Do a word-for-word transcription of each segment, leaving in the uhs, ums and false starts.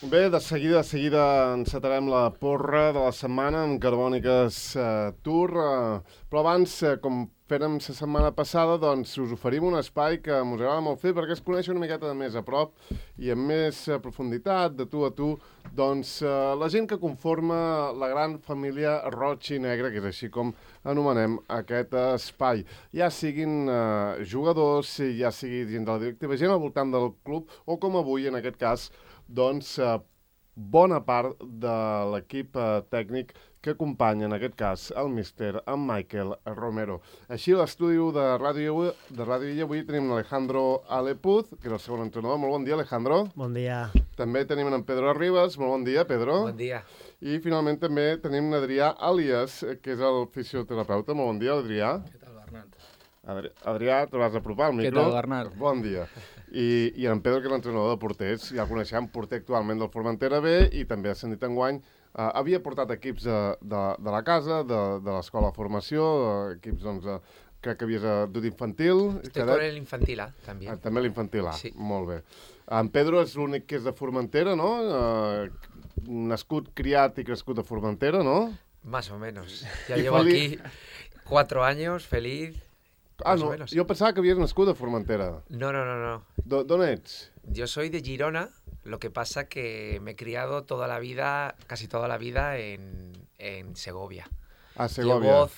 Bé, de seguida, de seguida encetarem la porra de la setmana amb Carbòniques eh, Tour, eh, però abans, eh, com fèrem la setmana passada, doncs us oferim un espai que ens agrada molt fer perquè es coneix una miqueta de més a prop i amb més eh, profunditat, de tu a tu, doncs eh, la gent que conforma la gran família Roig i Negre, que és així com anomenem aquest espai. Ja siguin eh, jugadors, ja sigui gent de la directiva, gent al voltant del club, o com avui, en aquest cas, doncs eh, bona part de l'equip eh, tècnic que acompanya, en aquest cas, el míster, en Michael Romero. Així, a l'estudi de Ràdio de Ràdio Illa, avui tenim Alejandro Alepuz, que és el segon entrenador. Molt bon dia, Alejandro. Bon dia. També tenim en Pedro Ribas. Molt bon dia, Pedro. Bon dia. I, finalment, també tenim Adrià Àlies, que és el fisioterapeuta. Molt bon dia, Adrià. Què tal, Bernat? Adri Adrià, te vas apropar al micro. Què tal, Bernat? Bon dia. I, i en Pedro, que és l'entrenador de porters, ja el coneixem, porter actualment del Formentera B i també ha ascendit enguany. Uh, havia portat equips de, de, de la casa, de, de l'escola de formació, uh, equips, doncs, uh, crec que havies dut infantil. Estoy cadet. Con el infantil A, també. Ah, també l'infantil A, sí. Molt bé. En Pedro és l'únic que és de Formentera, no? Uh, nascut, criat i crescut a Formentera, no? Más o menos. Ya llevo aquí cuatro años, feliz. Ah, no, jo pensava que havies nascut a Formentera. No, no, no, no. ¿D'on ets? Yo soy de Girona, lo que pasa que me he criado toda la vida, casi toda la vida en, en Segovia. Ah, Segovia. Llevo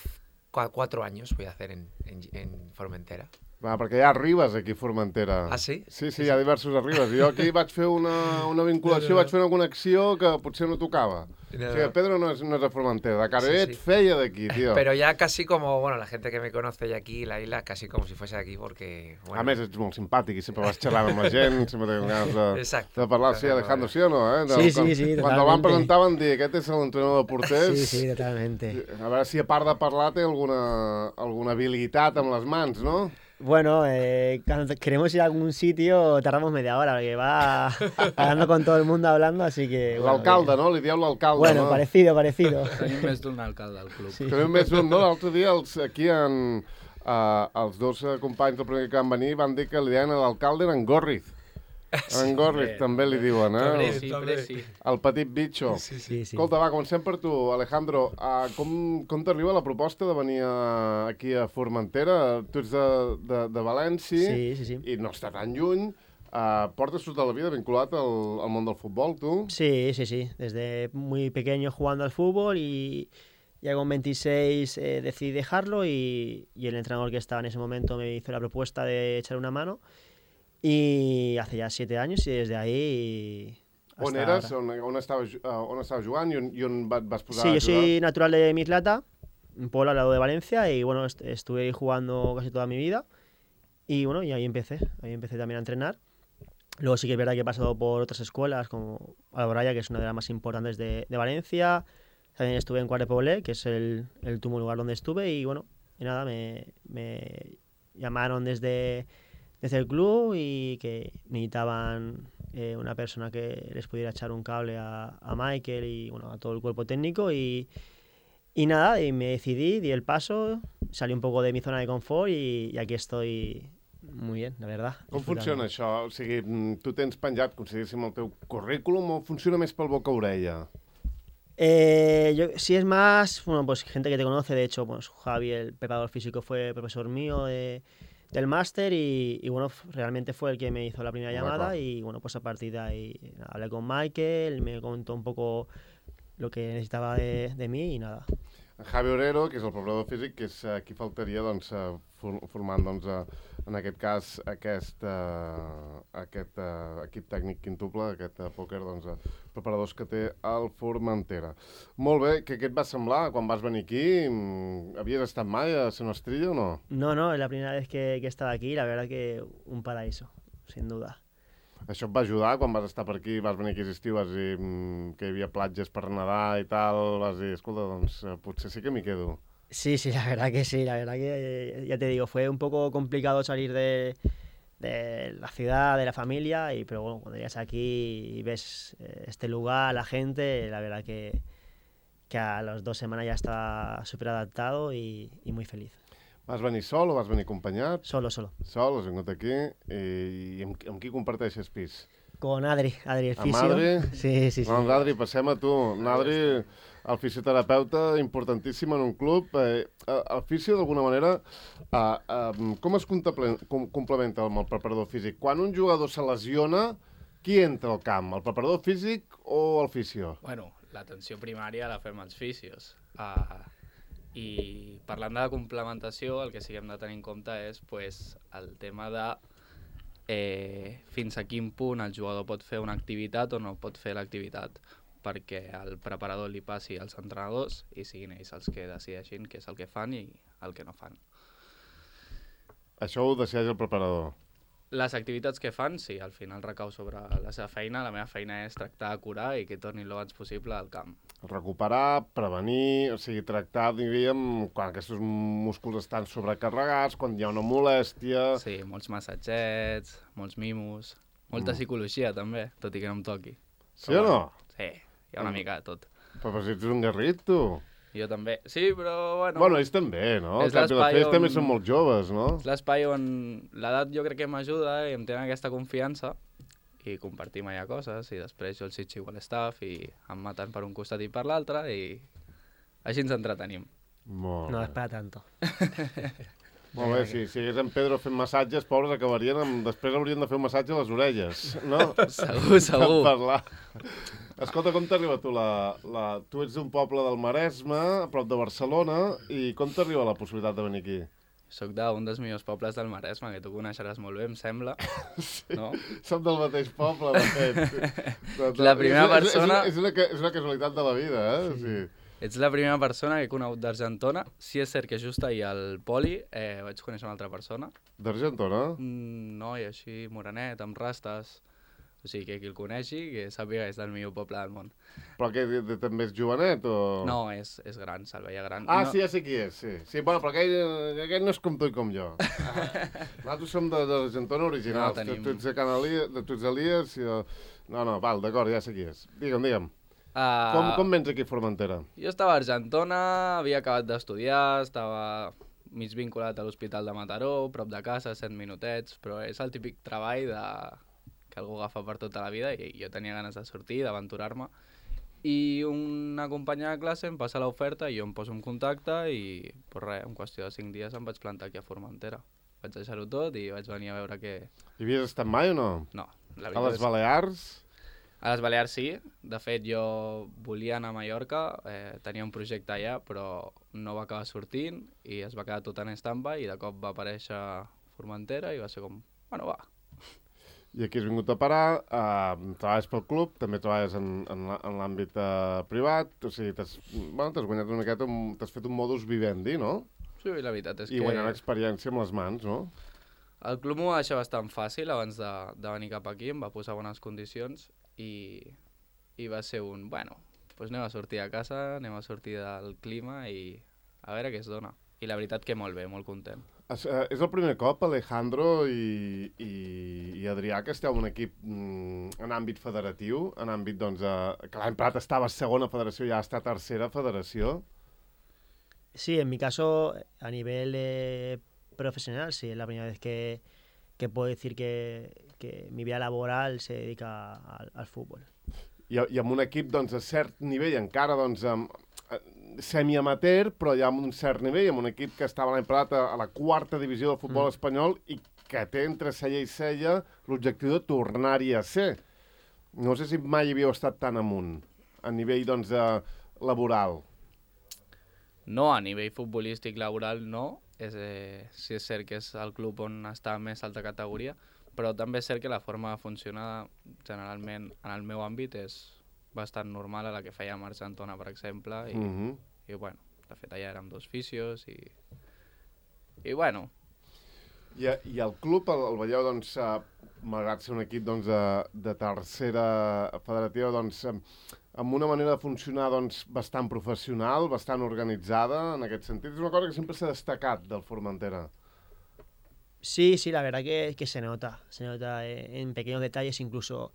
cu cuatro años, voy a hacer en, en, en Formentera. Va, perquè hi ha Ribes aquí a Formentera. Ah, sí? Sí, sí, hi ha diversos a Ribes. Jo aquí vaig fer una, una vinculació, no, no. vaig fer una connexió que potser no tocava. No, no. O sigui, Pedro no és, no és de Formentera, de Caroet, sí, sí. Feia d'aquí, tío. Pero ya casi como, bueno, la gente que me conoce ya aquí, la isla, casi como si fuese aquí, porque... Bueno. A més, ets molt simpàtic i sempre vas xerrant amb la gent, sempre tens ganes de, Exacto. de parlar. Sí, Alejandro, sí o no? Eh? De, sí, quan, sí, sí, totalmente. Quan el van presentar van dir, aquest és l'entrenador de porters. Sí, sí, totalmente. A veure si a part de parlar té alguna, alguna habilitat amb les mans, no? Bueno, eh, cuando queremos ir a algún sitio tardamos media hora, porque va hablando con todo el mundo hablando, así que... Bueno, l'alcalde, no? Li dieu l'alcalde, bueno, no? Bueno, parecido, parecido. Tenim més d'un alcalde al club. Sí. Tenim més d'un, no? L'altre dia els, aquí en, uh, els dos uh, companys del primer que van venir van dir que li deien a l'alcalde en Gorriz. En Gorriz sí, també li diuen, eh? També, sí, també, sí. El petit bitxo. Sí, sí, sí. Escolta, va, comencem per tu, Alejandro. Uh, com com t'arriba la proposta de venir a, aquí a Formentera? Tu ets de, de, de València sí, sí, sí. i no està tan lluny. Uh, portes tota la vida vinculat al, al món del futbol, tu? Sí, sí, sí. Desde muy pequeño jugando al fútbol y ya con veintiséis eh, decidí dejarlo y, y el entrenador que estaba en ese momento me hizo la propuesta de echar una mano. I hace ja siete anys i des d'ahí... On eres? On, on, estaves, uh, on estaves jugant i on, i on vas posar sí, a jugar? Sí, yo soy natural de Mislata, un pueblo al lado de Valencia, y bueno, est estuve ahí jugando casi toda mi vida. Y bueno, y ahí empecé, ahí empecé también a entrenar. Luego sí que es verdad que he pasado por otras escuelas, como Alboraya, que es una de las más importantes de, de Valencia. También estuve en Quart de Poblet, que es el, el último lugar donde estuve. Y bueno, y nada, me, me llamaron desde... desde el club y que necesitaban eh, una persona que les pudiera echar un cable a, a Michael y bueno, a todo el cuerpo técnico y, y nada, y me decidí, di el paso, salí un poco de mi zona de confort y, y aquí estoy muy bien, la verdad. Com funciona això? O sigui, tu tens penjat, consideríssim, el teu currículum o funciona més pel boca-orella? Eh, yo, si es más, bueno, pues gente que te conoce, de hecho, pues Javi, el preparador físico, fue profesor mío de... del máster y, y bueno, realmente fue el que me hizo la primera llamada y bueno, pues a partir de ahí nada, hablé con Michael, me contó un poco lo que necesitaba de, de mí y nada. Javi Orero, que és el preparador físic, que és qui faltaria doncs, formant doncs, en aquest cas aquest, uh, aquest uh, equip tècnic quintuple, aquest uh, pòquer, doncs, uh, preparadors que té el Formentera. Molt bé, què, què et va semblar quan vas venir aquí? Havies estat mai a Son Estrella o no? No, no, es la primera vez que, que he estado aquí, la verdad que un paraíso, sin duda. Això et va ajudar quan vas estar per aquí, vas venir aquí aquest estiu, vas dir mmm, que hi havia platges per nedar i tal, vas dir, escolta, doncs potser sí que m'hi quedo. Sí, sí, la verdad que sí, la verdad que, ya te digo, fue un poco complicado salir de, de la ciudad, de la familia, y pero bueno, cuando llegas aquí y ves este lugar, la gente, la verdad que, que a las dos semanas ya estaba súper adaptado y, y muy feliz. Vas venir sol o vas venir acompanyat? Solo, solo. Sol, has vingut aquí. I, i amb, amb qui comparteixes pis? Con Adri, Adri, el Amb fisio. Adri? Sí, sí, sí. Doncs Adri, passem a tu. Adri, el fisioterapeuta importantíssim en un club. Eh, el fisio, d'alguna manera, eh, eh, com es contemple- com, complementa amb el preparador físic? Quan un jugador se lesiona, qui entra al camp? El preparador físic o el fisio? Bueno, l'atenció primària la fem els fisios. Uh, I parlant de la complementació, el que sí que hem de tenir en compte és pues, el tema de eh, fins a quin punt el jugador pot fer una activitat o no pot fer l'activitat, perquè el preparador li passi als entrenadors i siguin ells els que decideixin què és el que fan i el que no fan. Això ho decideix el preparador. Les activitats que fan, sí, al final recau sobre la seva feina. La meva feina és tractar de curar i que tornin lo abans possible al camp. Recuperar, prevenir, o sigui, tractar, diríem, quan aquests músculs estan sobrecarregats, quan hi ha una molèstia... Sí, molts massatgets, molts mimos, molta Mm. psicologia també, tot i que no em toqui. Sí o no? Sí, hi ha una Mm. mica de tot. Però, però si ets un garrit, tu. Jo també. Sí, però bueno... Bueno, ells també, no? És Al cap i a la l'espai fi ells també on- són molt joves, no? És l'espai on l'edat jo crec que m'ajuda i em tenen aquesta confiança i compartim allà coses i després jo els xitxo a l'estaff i em maten per un costat i per l'altre i així ens entretenim. Molt No bé. es para tanto. Molt bé, si, si hagués en Pedro fent massatges, pobres, acabarien amb... Després haurien de fer un massatge a les orelles, no? Segur, segur. Per parlar. Escolta, com t'arriba tu la, la... Tu ets d'un poble del Maresme, a prop de Barcelona, i com t'arriba la possibilitat de venir aquí? Soc d'un dels millors pobles del Maresme, que tu coneixeràs molt bé, em sembla. Sí, no? som del mateix poble, de fet. De- de- La primera és, és, persona- És, és, una, és una casualitat de la vida, eh? Sí. Ets la primera persona que he conegut d'Argentona. Sí és cert que just ahir al Poli eh, vaig conèixer una altra persona. D'Argentona? Un noi així, morenet, amb rastes. O sigui, que qui el coneixi, que sàpiga que és del millor poble del món. Però que de, de, també és jovenet, o...? No, és, és gran, se'l veia gran. Ah, no, sí, ja sé qui és, sí. Sí, bueno, però aquell, aquell no és com tu i com jo. Ah, nosaltres som de, de l'Argentona originals. No, tenim- Tu, tu ets de Can Elias, de, tu ets Elias i... jo- No, no, val, d'acord, ja sé qui és. Digue'm, digue'm. Uh, Com, com vens aquí a Formentera? Jo estava a Argentona, havia acabat d'estudiar, estava mig vinculat a l'Hospital de Mataró, prop de casa, set minutets, però és el típic treball de... que algú agafa per tota la vida i jo tenia ganes de sortir, d'aventurar-me. I una companya de classe em passa l'oferta i jo em poso en contacte i, pues res, en qüestió de cinc dies em vaig plantar aquí a Formentera. Vaig deixar-ho tot i vaig venir a veure què... Hi havies estat mai o no? No, la A veritat les és... Balears? A les Balears sí, de fet jo volia anar a Mallorca, eh, tenia un projecte allà però no va acabar sortint i es va quedar tot en stand-by i de cop va aparèixer Formentera i va ser com, bueno va. I aquí has vingut a parar, eh, treballes pel club, també treballes en, en, la- en l'àmbit eh, privat, o sigui, t'has bueno, t'has guanyat una miqueta, un- t'has fet un modus vivendi, no? Sí, la veritat és I que guanyant experiència amb les mans, no? el club m'ho va deixar bastant fàcil abans de, de venir cap aquí, em va posar bones condicions i, i va ser un, bueno, doncs anem a sortir a casa, anem a sortir del clima i a veure què es dona. I la veritat que molt bé, molt content. És, eh, és el primer cop, Alejandro i, i, i Adrià, que esteu en un equip mm, en àmbit federatiu, en àmbit, doncs, eh, que l'any passat estava a segona federació i ja està a tercera federació. Sí, en mi caso, a nivel eh, profesional, sí, es la primera vez que, que puedo decir que, que mi vida laboral se dedica al, al fútbol. I, I amb un equip, doncs, a cert nivell, encara, doncs, amb, eh, semi-amateur, però ja amb un cert nivell, amb un equip que estava l'any passat a, a la quarta divisió del futbol mm. espanyol i que té entre cella i cella l'objectiu de tornar-hi a ser. No sé si mai havíeu estat tan amunt, a nivell, doncs, eh, laboral. No, a nivell futbolístic laboral no, és, eh, sí és cert que és el club on està més alta categoria, però també és cert que la forma de funcionar generalment en el meu àmbit és bastant normal a la que fèiem a Argentona, per exemple, i, Mm -hmm. i bueno, de fet allà érem dos fisios i, i bueno, I, I el club el, el veieu, doncs, eh, malgrat ser un equip doncs, de, de tercera federativa, doncs, eh, amb una manera de funcionar doncs, bastant professional, bastant organitzada, en aquest sentit. És una cosa que sempre s'ha destacat del Formentera. Sí, sí, la verdad que, que se nota, se nota eh, en pequeños detalles, incluso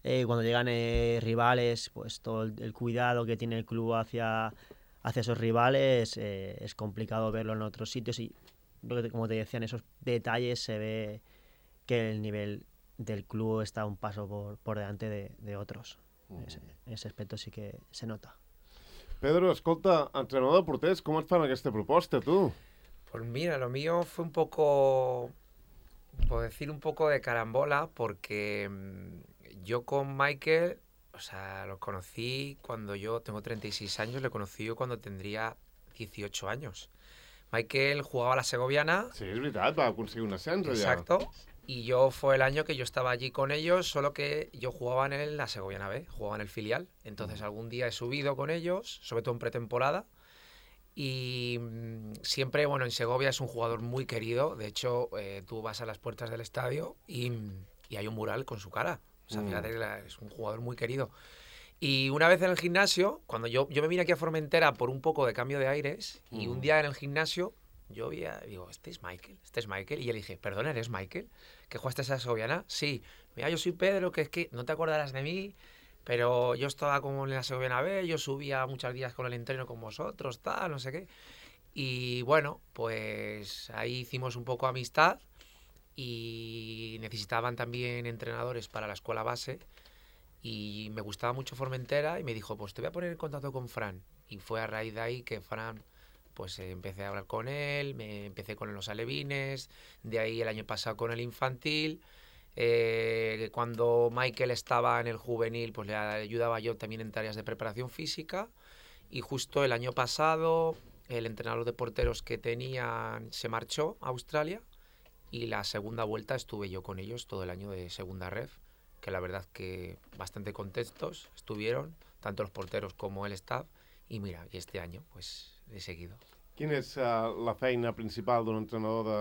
eh, cuando llegan eh, rivales, pues todo el, el cuidado que tiene el club hacia, hacia esos rivales eh, es complicado verlo en otros sitios y lo que te- como te decía, en esos detalles se ve que el nivel del club está un paso por, por delante de, de otros. Mm. Ese, ese aspecto sí que se nota. Pedro, escolta, entrenador de porters, com et fan aquesta proposta, tu? Pues mira, lo mío fue un poco, por decir un poco de carambola, porque mm, yo con Michael, o sea, lo conocí cuando yo tengo treinta y seis años, le conocí yo cuando tendría dieciocho años. Michael jugaba a la Segoviana. Sí, és veritat, va aconseguir un ascens allà. Exacto. Y yo fue el año que yo estaba allí con ellos, solo que yo jugaba en el, la Segoviana B, jugaba en el filial. Entonces algún día he subido con ellos, sobre todo en pretemporada. Y mmm, siempre, bueno, en Segovia es un jugador muy querido. De hecho, eh, tú vas a las puertas del estadio y, y hay un mural con su cara. O sea, Mm. fíjate que la- es un jugador muy querido. Y una vez en el gimnasio, cuando yo, yo me vine aquí a Formentera por un poco de cambio de aires, y Mm. un día en el gimnasio yo vi a- digo, este es Michael, este es Michael. Y yo le dije, perdona, ¿eres Michael? ¿Que jugaste a esa Segoviana? Sí. Mira, yo soy Pedro, que es que no te acordarás de mí, pero yo estaba como en la Segoviana B, yo subía muchos días con el entreno con vosotros, tal, no sé qué. Y bueno, pues ahí hicimos un poco amistad y necesitaban también entrenadores para la escuela base y me gustaba mucho Formentera y me dijo, pues te voy a poner en contacto con Fran. Y fue a raíz de ahí que Fran, pues eh, empecé a hablar con él, me empecé con los alevines, de ahí el año pasado con el infantil. Eh, cuando Michael estaba en el juvenil, pues le ayudaba yo también en tareas de preparación física. Y justo el año pasado, el entrenador de porteros que tenían se marchó a Australia y la segunda vuelta estuve yo con ellos todo el año de segunda ref, que la verdad que bastante contentos estuvieron, tanto los porteros como el staff. Y mira, y este año pues he seguido. Quina és uh, la feina principal d'un entrenador de,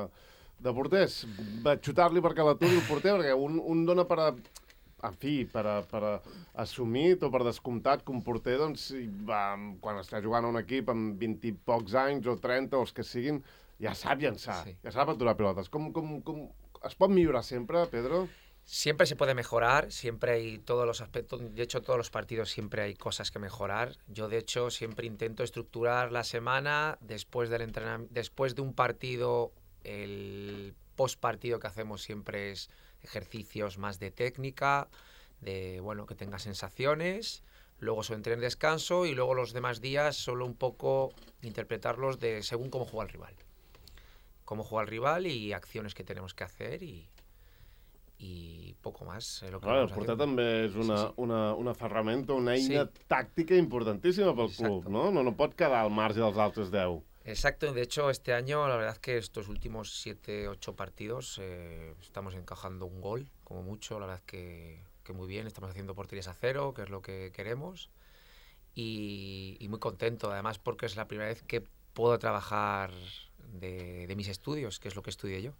de porters? Va xutar-li perquè l'aturi el porter, perquè un, un dona per a, en fi, per, a, per a assumit o per descomptat que un porter, doncs, i va, quan està jugant a un equip amb vint i pocs anys o trenta o els que siguin, ja sap llançar, Sí. ja sap aturar pilotes. Com, com, com, es pot millorar sempre, Pedro? Siempre se puede mejorar, siempre hay todos los aspectos, de hecho todos los partidos siempre hay cosas que mejorar. Yo de hecho siempre intento estructurar la semana después del entrenamiento, después de un partido, el post partido que hacemos siempre es ejercicios más de técnica, de bueno, que tenga sensaciones, luego su entreno de descanso y luego los demás días solo un poco interpretarlos de según cómo juega el rival. Cómo juega el rival y acciones que tenemos que hacer y i poco más. Eh, lo que Clar, el vamos porter haciendo. també és una, Sí, sí. una, una ferramenta, una eina Sí. tàctica importantíssima pel club, Exacto. no? no? No pot quedar al marge dels altres deu. Exacto, de hecho este año la verdad es que estos últimos siete, ocho partidos eh, estamos encajando un gol, como mucho, la verdad es que, que muy bien, estamos haciendo porterías a cero, que es lo que queremos, y, y muy contento, además porque es la primera vez que puedo trabajar de, de mis estudios, que es lo que estudié yo.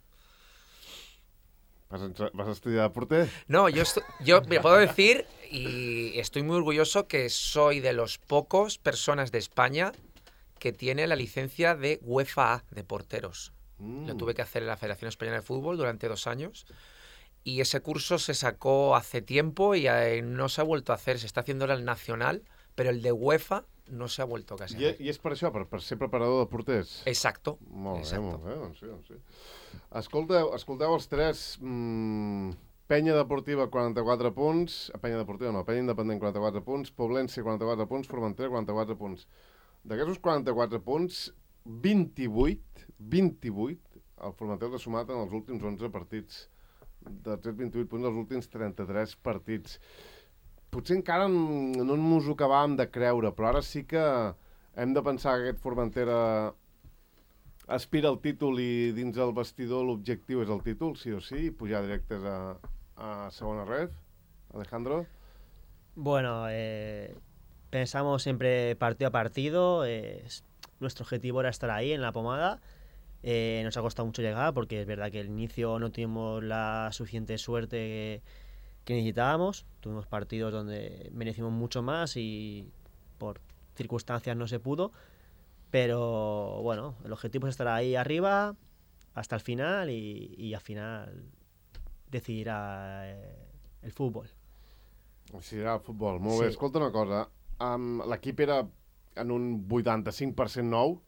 Vas, a, vas a estudiar de porter? No, yo, estu- yo me puedo decir, y estoy muy orgulloso, que soy de los pocos personas de España que tiene la licencia de UEFA A de porteros. Mm. Lo tuve que hacer en la Federación Española de Fútbol durante dos años y ese curso se sacó hace tiempo y eh, no se ha vuelto a hacer. Se está haciendo ahora el nacional, pero el de UEFA no se ha vuelto casi a I, hacer. I és per això, per, per ser preparador de porters? Exacto. Molt bé, exacto. molt bé, doncs sí, doncs sí. Escolteu, escolteu els tres. Mm, Penya Deportiva, quaranta-quatre punts. Penya Deportiva no, Penya Independent, quaranta-quatre punts. Poblense, quaranta-quatre punts. Formentera, quaranta-quatre punts. D'aquests quaranta-quatre punts, vint-i-vuit, vint-i-vuit, el Formentera ha sumat en els últims onze partits. D'aquests vint-i-vuit punts, els últims trenta-tres partits. Potser encara no ens ho acabàvem de creure, però ara sí que hem de pensar que aquest Formentera aspira al títol i dins el vestidor l'objectiu és el títol, sí o sí, i pujar directes a, a segona ref. Alejandro? Bueno, eh, pensamos siempre partido a partido. Eh, es- nuestro objetivo era estar ahí en la pomada. Eh, nos ha costado mucho llegar porque es verdad que al inicio no tuvimos la suficiente suerte que, que necesitábamos. Tuvimos partidos donde merecimos mucho más y por circunstancias no se pudo. Pero bueno, el objetivo es estar ahí arriba hasta el final y, y al final decidirá eh, el fútbol. Sí, era el futbol. Molt bé. Sí. Escolta una cosa. Um, L'equip era en un vuitanta-cinc per cent nou.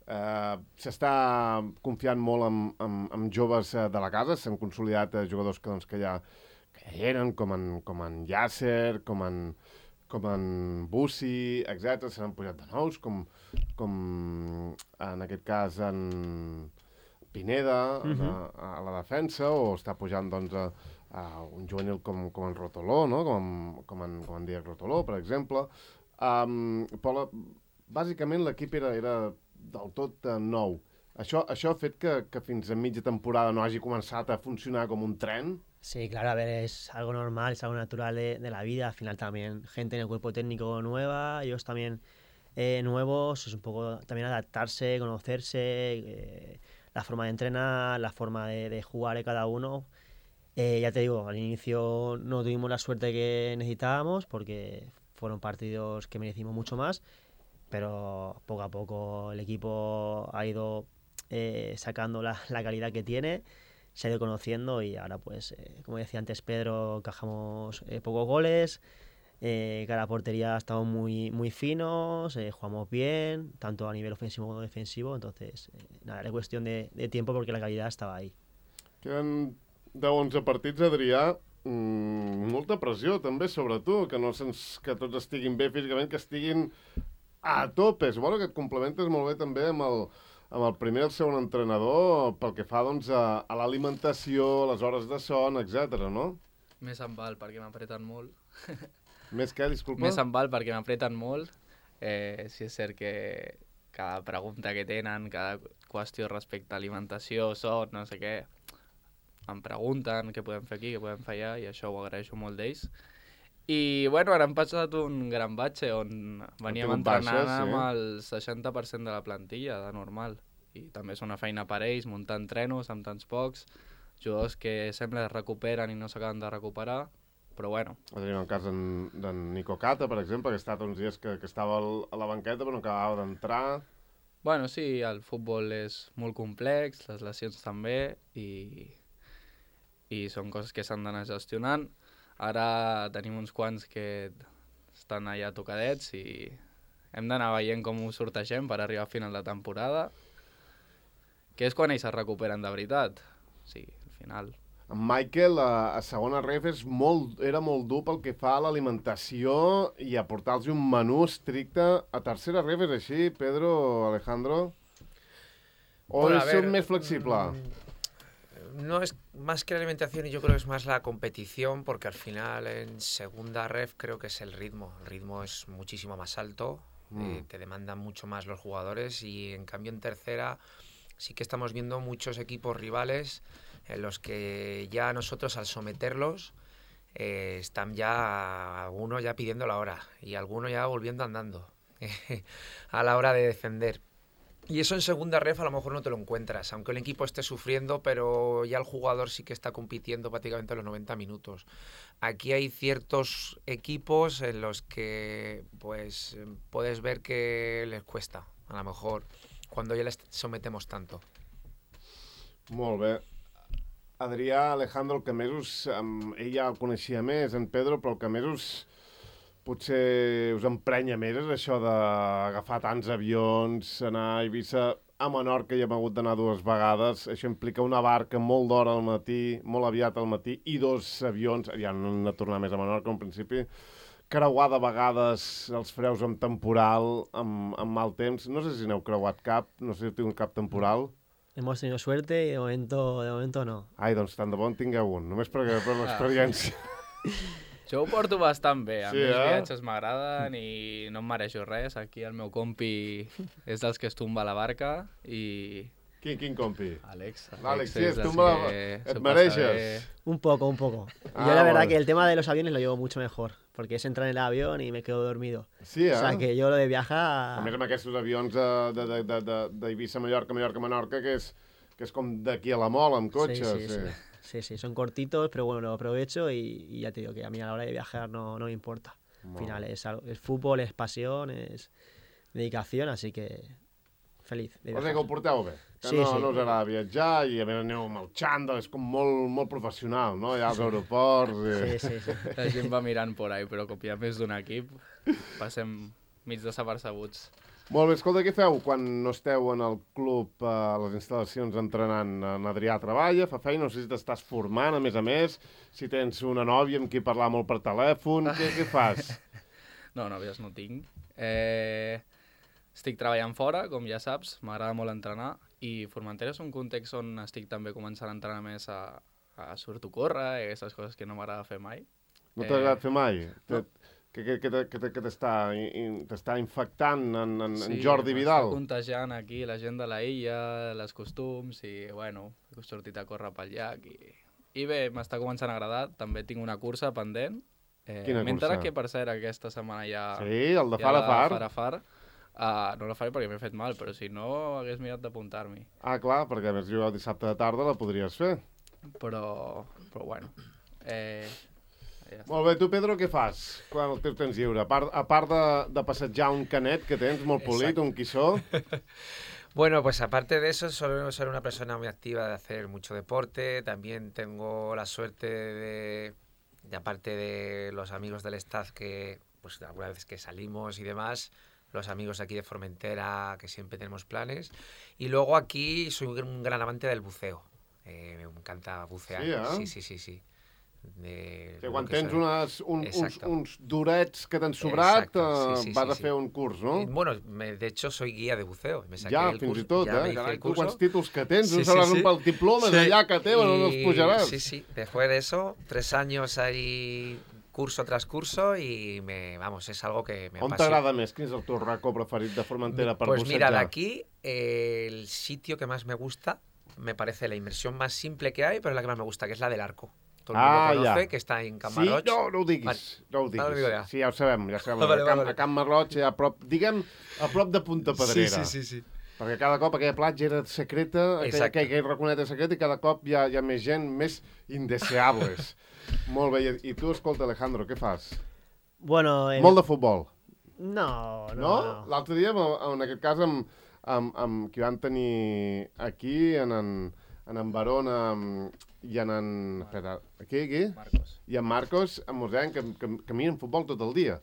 eh, s'està confiant molt en, en, en joves eh, de la casa, s'han consolidat eh, jugadors que, doncs, que, ja, que ja hi eren, com en, com en Yasser, com en, com en Bussi, etcètera. S'han pujat de nous, com, com en aquest cas en Pineda, uh -huh. a, a la defensa, o està pujant doncs, a, a un juvenil com, com en Rotoló, no? com, com, en, com en Diego Rotoló, per exemple. Um, però la, bàsicament l'equip era, era del tot uh, nou. Això, això ha fet que, que fins a mitja temporada no hagi començat a funcionar com un tren? Sí, claro, a ver, es algo normal, es algo natural de, de la vida. Al final también gente en el cuerpo técnico nueva, ellos también eh, nuevos, es un poco también adaptarse, conocerse, eh, la forma de entrenar, la forma de, de jugar de cada uno. Eh, ya te digo, al inicio no tuvimos la suerte que necesitábamos porque fueron partidos que merecimos mucho más, pero poco a poco el equipo ha ido eh, sacando la, la calidad que tiene, se ha ido conociendo y ahora pues, eh, como decía antes Pedro, encajamos eh, pocos goles, eh, cada portería estamos muy, muy finos, eh, jugamos bien, tanto a nivel ofensivo como defensivo, entonces eh, nada, era cuestión de, de tiempo porque la calidad estaba ahí. Queden deu onze partits, Adrià, mm, molta pressió també sobre tu, que no sents que tots estiguin bé físicament, que estiguin a tope. Suposo que et complementes molt bé també amb el, amb el primer i el segon entrenador pel que fa doncs, a, a l'alimentació, les hores de son, etcètera, no? Més em val perquè m'apreten molt. Més què, disculpa? Més em val perquè m'apreten molt. Eh, si és cert que cada pregunta que tenen, cada qüestió respecte a alimentació, son, no sé què, em pregunten què podem fer aquí, què podem fer allà, i això ho agraeixo molt d'ells. I, bueno, ara hem passat un gran batxe on veníem entrenant amb el seixanta per cent de la plantilla, de normal. I també és una feina per ells, muntar entrenos amb tants pocs, jugadors que sembla que es recuperen i no s'acaben de recuperar, però bueno. Tenim el cas d'en Nico Cata, per exemple, que ha estat uns dies que, que estava a la banqueta però no acabava d'entrar. Bueno, sí, el futbol és molt complex, les lesions també, i... i són coses que s'han d'anar gestionant. Ara tenim uns quants que estan allà tocadets i hem d'anar veient com ho sortegem per arribar a final de temporada, que és quan ells es recuperen de veritat. Sí, al final. En Michael, a, a segona ref, és molt, era molt dur pel que fa a l'alimentació i a portar-los un menú estricte. A tercera ref és així, Pedro, Alejandro? O bueno, és ver, més flexible? Mmm... No es más que la alimentación, y yo creo que es más la competición, porque al final en segunda ref creo que es el ritmo. El ritmo es muchísimo más alto, mm. eh, te demandan mucho más los jugadores, y en cambio en tercera sí que estamos viendo muchos equipos rivales en los que ya nosotros al someterlos eh, están ya algunos ya pidiendo la hora y algunos ya volviendo andando a la hora de defender. Y eso en segunda ref a lo mejor no te lo encuentras, aunque el equipo esté sufriendo, pero ya el jugador sí que está compitiendo prácticamente los noventa minutos. Aquí hay ciertos equipos en los que pues puedes ver que les cuesta, a lo mejor, cuando ya les sometemos tanto. Molt bé. Adrià, Alejandro, el que més us... Um, ell ja el coneixia més, en Pedro, però el que més us... potser us emprenya més és això d'agafar tants avions, anar a Eivissa, a Menorca hi hem hagut d'anar dues vegades, això implica una barca molt d'hora al matí, molt aviat al matí, i dos avions, ja no hem de tornar més a Menorca en principi, creuar de vegades els freus amb temporal, amb, amb mal temps, no sé si n'heu creuat cap, no sé si heu tingut cap temporal. Hemos tenido suerte y de momento, de momento no. Ai, doncs tant de bon tingueu un, només per, per l'experiència. Jo ho porto bastant bé, a sí, mi els eh? viatges m'agraden i no em mereixo res. Aquí el meu compi és dels que es tomba la barca i... Quin, quin compi? Àlex. Àlex, sí, es tumba la... Et mereixes? Un poco, un poco. Ah, Yo la verdad bueno. que el tema de los aviones lo llevo mucho mejor, porque es entrar en el avión y me quedo dormido. Sí, eh? O sea, que yo lo de viajar... A més amb aquests avions d'Eivissa, Mallorca, Mallorca, Menorca, que és, que és com d'aquí a la Mola, amb cotxe. Sí, sí, sí. sí. Sí, sí, son cortitos, pero bueno, lo aprovecho y, y ya te digo que a mí a la hora de viajar no, no me importa. Al final es, algo, es fútbol, es pasión, es dedicación, así que feliz de viajar. O sigui que ho porteu bé, que sí, no, sí. no us agrada viatjar i a més aneu amb el xandall, és com molt, molt professional, no? Allà als aeroports... I... Sí, sí, sí. La gent va mirant por ahí, però com hi ha més d'un equip, passem mig desapercebuts. Molt bé, escolta, què feu quan no esteu en el club, eh, a les instal·lacions entrenant? En Adrià treballa, fa feina, no sé si t'estàs formant, a més a més, si tens una nòvia amb qui parlar molt per telèfon, què, què fas? No, nòvies no tinc. Eh, estic treballant fora, com ja saps, m'agrada molt entrenar, i Formentera és un context on estic també començant a entrenar més a, a surto a córrer i aquestes coses que no m'agrada fer mai. No t'ha agradat fer mai? No. Que, que, que, que, que t'està in- t'està infectant en, en, en Sí, Jordi Vidal? m'està contagiant aquí la gent de la illa, les costums, i bueno, he sortit a córrer pel llac i, i bé, m'està començant a agradar. També tinc una cursa pendent. Eh, Quina M'he enterat cursa? que, per cert, aquesta setmana ja... Sí, el de ja far a la far. far a far. Uh, no la faré perquè m'he fet mal, però si no hagués mirat d'apuntar-m'hi. Ah, clar, perquè a més jugar dissabte de tarda la podries fer. Però, però bueno... Eh, ja està. Molt bé, tu, Pedro, què fas quan el teu temps lliure? A part, a part de, de passejar un canet que tens molt polit, Exacto. un quissó... Bueno, pues aparte de eso, soy, soy una persona muy activa de hacer mucho deporte. También tengo la suerte de, de aparte de los amigos del staff que, pues algunas veces que salimos y demás, los amigos aquí de Formentera, que siempre tenemos planes. Y luego aquí soy un gran amante del buceo. Eh, me encanta bucear. Sí, eh? Sí, sí, sí, sí. De, Que lo quan que tens soy. unes, un, uns, Exacto. uns durets que t'han sobrat, Exacto, eh, sí, sí, vas sí, a sí. fer un curs, no? Y, bueno, me- de hecho soy guía de buceo. Me saqué Ja, el fins curso, i tot, ya me eh? hice Carai, el tu curso. quants títols que tens, Sí, no sí, sabràs sí. un pel diplomes Sí. allà que tenen, on els Y- pujaràs. Sí, sí. Después de eso, tres años ahí, curso tras curso, y me, vamos, es algo que me On apasiona. t'agrada més? Quin és el teu racó preferit de Formentera per Pues mira, bussejar? de aquí, eh, el sitio que más me gusta, me parece la inmersión más simple que hay, pero es la que más me gusta, que es la del arco. Todo el Ah, mundo conoce, ya. que está en Sí, Camarroch. no, no ho diguis, Vale. no ho Ara ho diguis. digo ja. Sí, ja ho sabem, ja ho sabem. Vale, a, Camp, vale. a Camp Marroig, a prop, diguem, a prop de Punta Pedrera. Sí, sí, sí, sí. Perquè cada cop aquella platja era secreta, aquella, Exacte. aquella raconeta secreta, i cada cop hi ha, hi ha més gent, més indeseables. Molt bé, i, i tu, escolta, Alejandro, què fas? Bueno, eh, Molt de futbol, no, no, no? no. L'altre dia, amb- en aquest cas, amb, amb, amb qui van tenir aquí, en en, en, en Barona amb- i en... en espera, aquí, aquí? Marcos. I en Marcos, en Mosèn, que, que, que miren futbol tot el dia.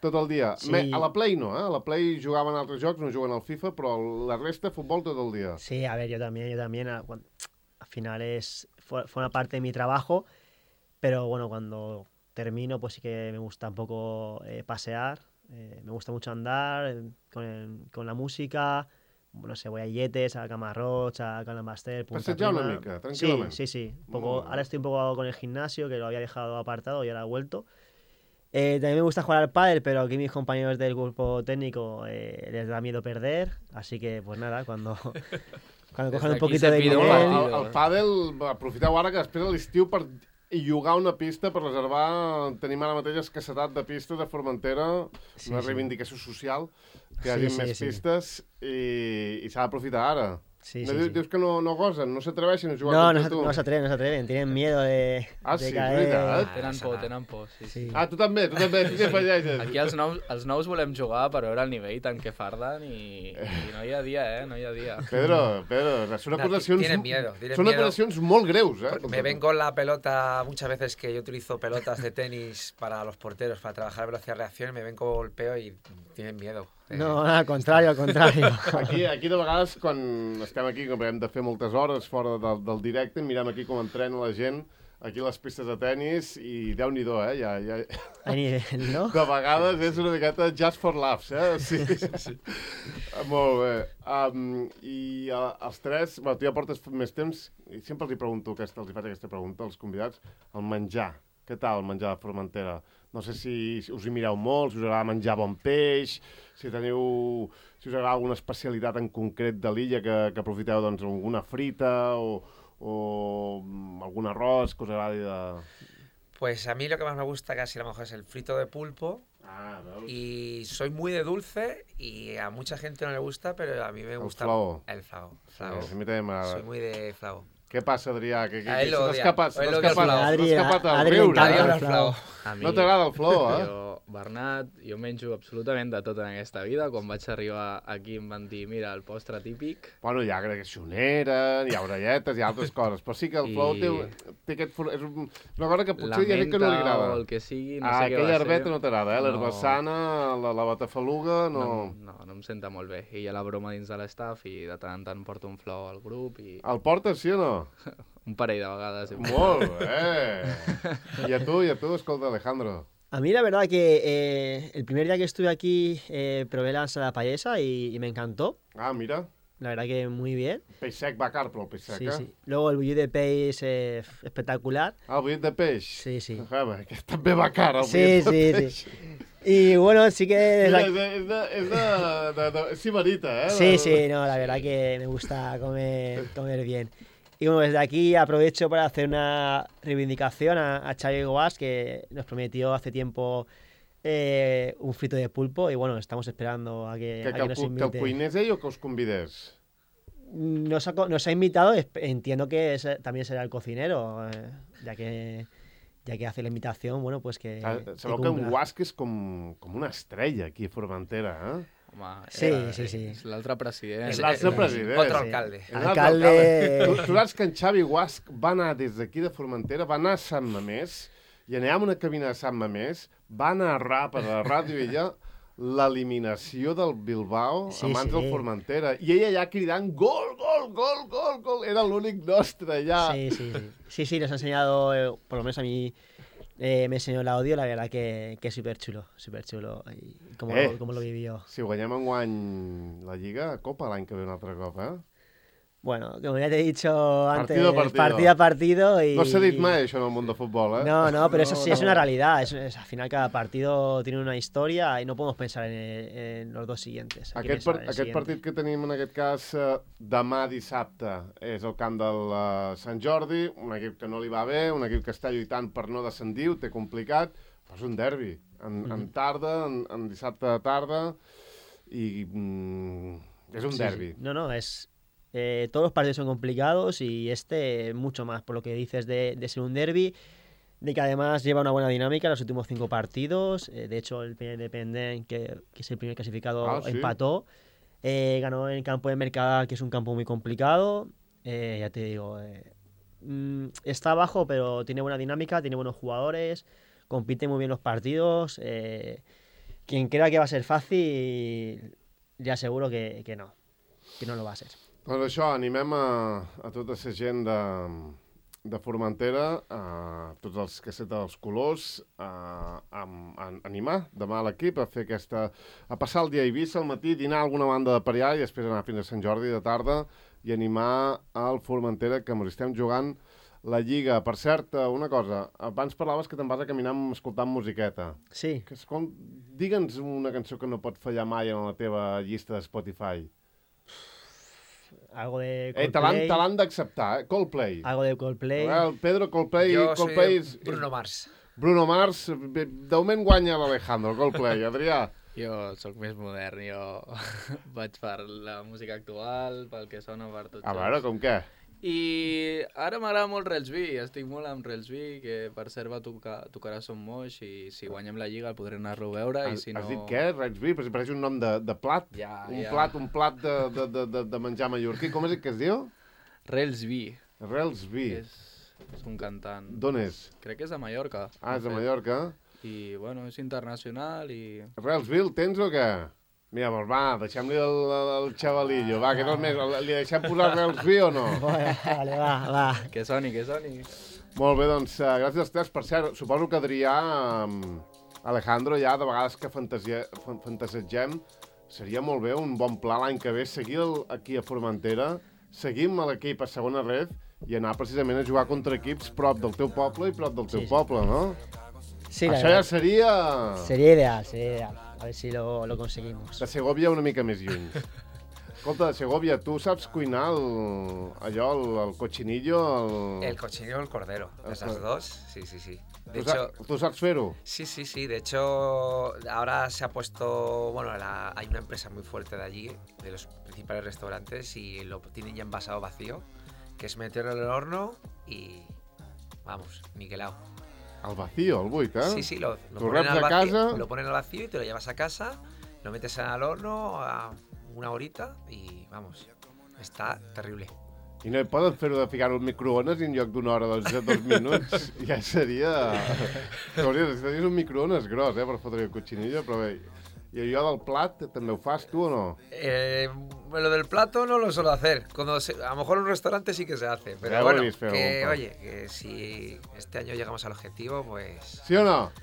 Tot el dia. Sí. Me, a la Play no, eh? A la Play jugaven altres jocs, no juguen al FIFA, però la resta, futbol tot el dia. Sí, a ver, yo también, yo también. a- cuan- Al final es fue, fue una parte de mi trabajo, pero bueno, cuando termino, pues sí que me gusta un poco eh, pasear. eh, me gusta mucho andar eh, con, el- con la música. No sé, voy a Yetes, a Camarroch, a Calambastel, Punta Passejar una Prima. mica, Sí, tranquil·lament. sí, sí. Un Molt poco, bé. ahora estoy un poco con el gimnasio, que lo había dejado apartado y ahora he vuelto. Eh, también me gusta jugar al pádel, pero aquí mis compañeros del grupo técnico eh, les da miedo perder, así que pues nada, cuando, cuando Desde cojan un aquí poquito se de pide un nivel... partido. El, el pàdel, aprofiteu ara que després de l'estiu per llogar una pista per reservar, tenim ara mateix escassetat de pistes a Formentera, Sí, una sí. reivindicació social, que hi Sí, hagi sí, més sí. pistes i, i s'ha d'aprofitar ara. Sí, no, sí, dius, sí. dius que no, no gosen, no s'atreveixen a jugar No, no, contra se- tu. no se atreven, no se atreven, tienen miedo de, Ah, de sí, caer. veritat? Tenen passa por, nada. tenen por, sí, sí. Sí. Ah, tu també, tu també, tu què afegeixes? Aquí els nous, els nous volem jugar per veure el nivell tant que farden i, i no hi ha dia, eh? No hi ha dia. Pedro, Pedro, són Nah, acusacions... tienen miedo, tienen són miedo. acusacions molt greus, eh? Porque me ven con la pelota, muchas veces que yo utilizo pelotas de tenis para los porteros, para trabajar velocidad-reacción, me ven con golpeo y tienen miedo. Eh, No, al contrario, al contrario. Aquí, aquí de vegades, quan estem aquí, com hem de fer moltes hores fora del, del directe, mirem aquí com entrena la gent, aquí a les pistes de tennis, i Déu-n'hi-do, eh? Ja, ja... Hay nivel, ¿no? De vegades és una miqueta just for laughs, eh? Sí, sí. Molt bé. Um, I uh, els tres, bueno, tu ja portes més temps, i sempre els hi pregunto, aquesta, els hi faig aquesta pregunta als convidats, el menjar. Què tal el menjar de Formentera? No sé si us hi mireu molt, si us agrada menjar bon peix, si teniu... si us agrada alguna especialitat en concret de l'illa que, que aprofiteu, doncs, alguna frita o, o mm, algun arròs que us agradi de... Pues a mí lo que más me gusta casi a lo mejor es el frito de pulpo Ah, veus? y soy muy de dulce y a mucha gente no le gusta, pero a mí me El gusta flaó. el flavo. Sí, flavo. a mi també m'agrada. Soy muy de flavo. Què passa, Adrià? Que, que, A ell que lo t'has odia. escapat, A ell t'has lo odia el escapat, flow. t'has Adri, escapat al Adri riure. l'encanta Adiós, Eh? el flow. A mi, No t'agrada el flow, eh? Jo, Bernat, jo menjo absolutament de tot en aquesta vida. Quan vaig arribar aquí em van dir, mira, el postre típic. Bueno, hi ha greixonera, hi ha orelletes, hi ha altres coses, però sí que el flow I- té, té aquest... for- És un- una cosa que La potser hi ha gent que no li menta agrada. o el que sigui, no ah, sé què aquella va herbeta ser. no t'agrada, eh? L'herba No. sana, la, la batafaluga, no... No, no, no em senta molt bé. I hi ha la broma dins de l'estaf i de tant en tant porto un flow al grup i El portes, sí o no? un parell de vegades. Molt bé! I a tu, i a tu, escolta, Alejandro. A mí la verdad que eh, el primer día que estuve aquí eh, probé la ensalada payesa y, y me encantó. Ah, mira, La verdad que muy bien. peix sec va car, però el peix sec, Sí, eh? sí. Luego el bulliu de peix eh, espectacular. Ah, el bullit de peix. Sí, sí. Ah, bé, que també va car, el Sí, bullit de sí, peix. sí. Y bueno, sí que... Mira, la- és de, és de, és de, de, de, és sibarita, eh? Sí, De- sí, no, la verdad que me gusta comer, comer bien. Y bueno, desde aquí aprovecho para hacer una reivindicación a, a Xavi Guas, que nos prometió hace tiempo eh, un frito de pulpo y bueno, estamos esperando a que, Que, a que, que el, nos cu- que el invite. cuinés ell o que us convidés? Nos ha, co- nos ha invitado, esp- entiendo que es- también será el cocinero, eh, ya que ya que hace la invitación, bueno, pues que, Ah, que sabeu que un cumpla. guasc és com, com una estrella aquí a Formentera, eh? Home, Sí, era- sí, sí. És l'altre president. És És l'altre eh, president. Otro Sí. alcalde. És l'altre Alcalde- Tu, tu saps que en Xavi Guasc va anar des d'aquí de Formentera, va anar a Sant Mamés, i anirà a una cabina de Sant Mamés, va narrar per la ràdio ella l'eliminació del Bilbao Sí, a mans sí. del Formentera. I ella allà cridant gol, gol, gol, gol, gol. Era l'únic nostre allà. Sí, sí, sí. Sí, sí, nos ha enseñado, eh, por lo menos a mí eh, me enseñó el audio, la verdad que, que es súper chulo, súper chulo. Y cómo, Eh. lo, cómo lo vivió. Si guanyem enguany la Lliga, Copa l'any que ve un altre cop, eh? Bueno, como ya te he dicho antes, Partido a partido. partido a partido y... No s'ha dit mai això en el món de futbol, eh? No, no, pero eso sí es no. una realidad. Es, es- al final cada partido tiene una historia y no podemos pensar en, en los dos siguientes. Hay que Aquest, par pensar en el aquest siguiente. partit que tenim en aquest cas eh, demà dissabte és el camp del uh, Sant Jordi, un equip que no li va bé, un equip que està lluitant per no descendir, ho té complicat, però és un derbi, en, en tarda, en, en dissabte de tarda, i mm, és un Sí, derbi. sí. No, no, es... eh, todos los partidos son complicados y este mucho más, por lo que dices de, de ser un derby, de que además lleva una buena dinámica en los últimos cinco partidos. eh, de hecho, el Peña Independent, que, que es el primer clasificado, Ah, ¿sí? empató. eh, ganó en el campo de Mercadal, que es un campo muy complicado. eh, ya te digo, eh, mm, está abajo, pero tiene buena dinámica, tiene buenos jugadores, compite muy bien los partidos. eh, quien crea que va a ser fácil, ya seguro que, que no, que no lo va a ser. Doncs això, animem a, a tota la gent de, de Formentera, a tots els que senten els colors, a, a, a animar demà a l'equip a fer aquesta... a passar el dia a Eivissa al matí, dinar a alguna banda de per allà i després anar fins a Sant Jordi de tarda i animar al Formentera, que ens estem jugant la Lliga. Per cert, una cosa, abans parlaves que te'n vas a caminar escoltant musiqueta. Sí. Que, escol... Digue'ns una cançó que no pot fallar mai en la teva llista de Spotify. Algo de Eh, te l'han Coldplay. te l'han d'acceptar, eh? Coldplay. Algo de Coldplay. El Pedro Coldplay, Yo soy Coldplay de és... Bruno Mars. Bruno Mars, bé, de moment guanya l'Alejandro, Coldplay. Adrià, Jo sóc més modern, jo vaig per la música actual, pel que sona per tots. a veure, com què? I ara m'agrada molt Relsby, estic molt amb Relsby, que per cert va tocar, tocarà Som Moix i si guanyem la Lliga el podré anar-lo a veure i Has, si no... has dit què? Rexby? Però si pareix un nom de, de plat. Ja, un ja. plat, un plat de, de, de, de, de menjar mallorquí. Com és que es diu? Relsby, Relsby. és, és un cantant. D'on és? Crec que és de Mallorca. Ah, és de fet. Mallorca. I, bueno, és internacional i... Relsby, el tens o què? Mira, doncs va, deixem-li el, el, el xavalillo. Va, que no és més. Li deixem posar Relsby o no? Bueno, vale, va, va. Que soni, que soni. Molt bé, doncs, uh, gràcies als tres. Per cert, suposo que Adrià, um, Alejandro, ja de vegades que fantasia, fan, fantasegem, seria molt bé un bon pla l'any que ve seguir el, aquí a Formentera, seguir amb l'equip a segona red i anar precisament a jugar contra equips prop del teu poble i prop del teu Sí, sí. poble, no? Sí, la Això ja verdad. seria Sería ideal, sería ideal. A ver si lo, lo conseguimos. de Segovia una mica més lluny. Escolta, de Segovia, tu saps cuinar el, allò, el, el cochinillo? El... El cochinillo o el cordero, de esas Ajá. dos, sí, sí, sí. De Tu, sa hecho, tu saps fer-ho? sí, sí, sí. De hecho, ahora se ha puesto, bueno, la- hay una empresa muy fuerte de allí, de los principales restaurantes, y lo tienen ya envasado vacío. que es meterlo en el horno y, vamos, niquelado. Al vacío, al buit, eh? Sí, sí, lo, lo, Tu ponen reps al a vacío, casa. lo ponen al vacío y te lo llevas a casa, lo metes al horno a una horita y, vamos, està terrible. I no poden fer-ho de ficar-ho al microones i en lloc d'una hora, doncs, de dos minuts, ja seria... Hauries de tenir un microones gros, eh, per fotre el cochinillo, però bé... I allò del plat, també ho fas tu o no? Eh, lo del plato no lo suelo hacer. Cuando se, a lo mejor en un restaurante sí que se hace. Pero Ya bueno, volvéis feo, que, pa. oye, que si este año llegamos al objetivo, pues... Sí o no?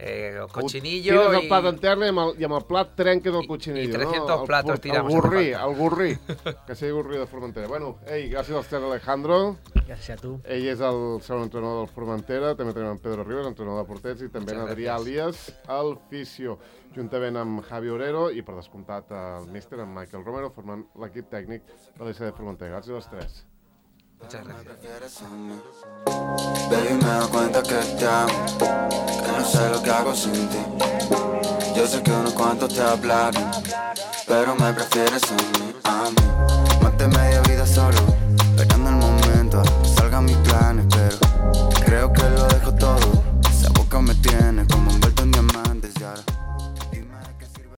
Eh, Ho cochinillo tires el y... plat en terra i amb el, i amb el plat trenques el I- cochinillo, i trescientos no? El platos pu- tiramos El a gurri, falta. el gurri. Que sigui gurri de Formentera. Bueno, ei, gràcies als tres, Alejandro. Gràcies a tu. Ell és el segon entrenador del Formentera, també tenim en Pedro Ribas, entrenador de porters, i també en Muchas Adrià gracias. Alias, el fisio, juntament amb Javi Orero i, per descomptat, el míster, en Michael Romero, formant l'equip tècnic de l'I C de Formentera. Gràcies als tres. Muchas gracias. Baby, me doy cuenta que te amo, que no sé lo que hago sin ti. Yo sé que unos cuantos te hablaron, pero me prefieres a mí, a mí.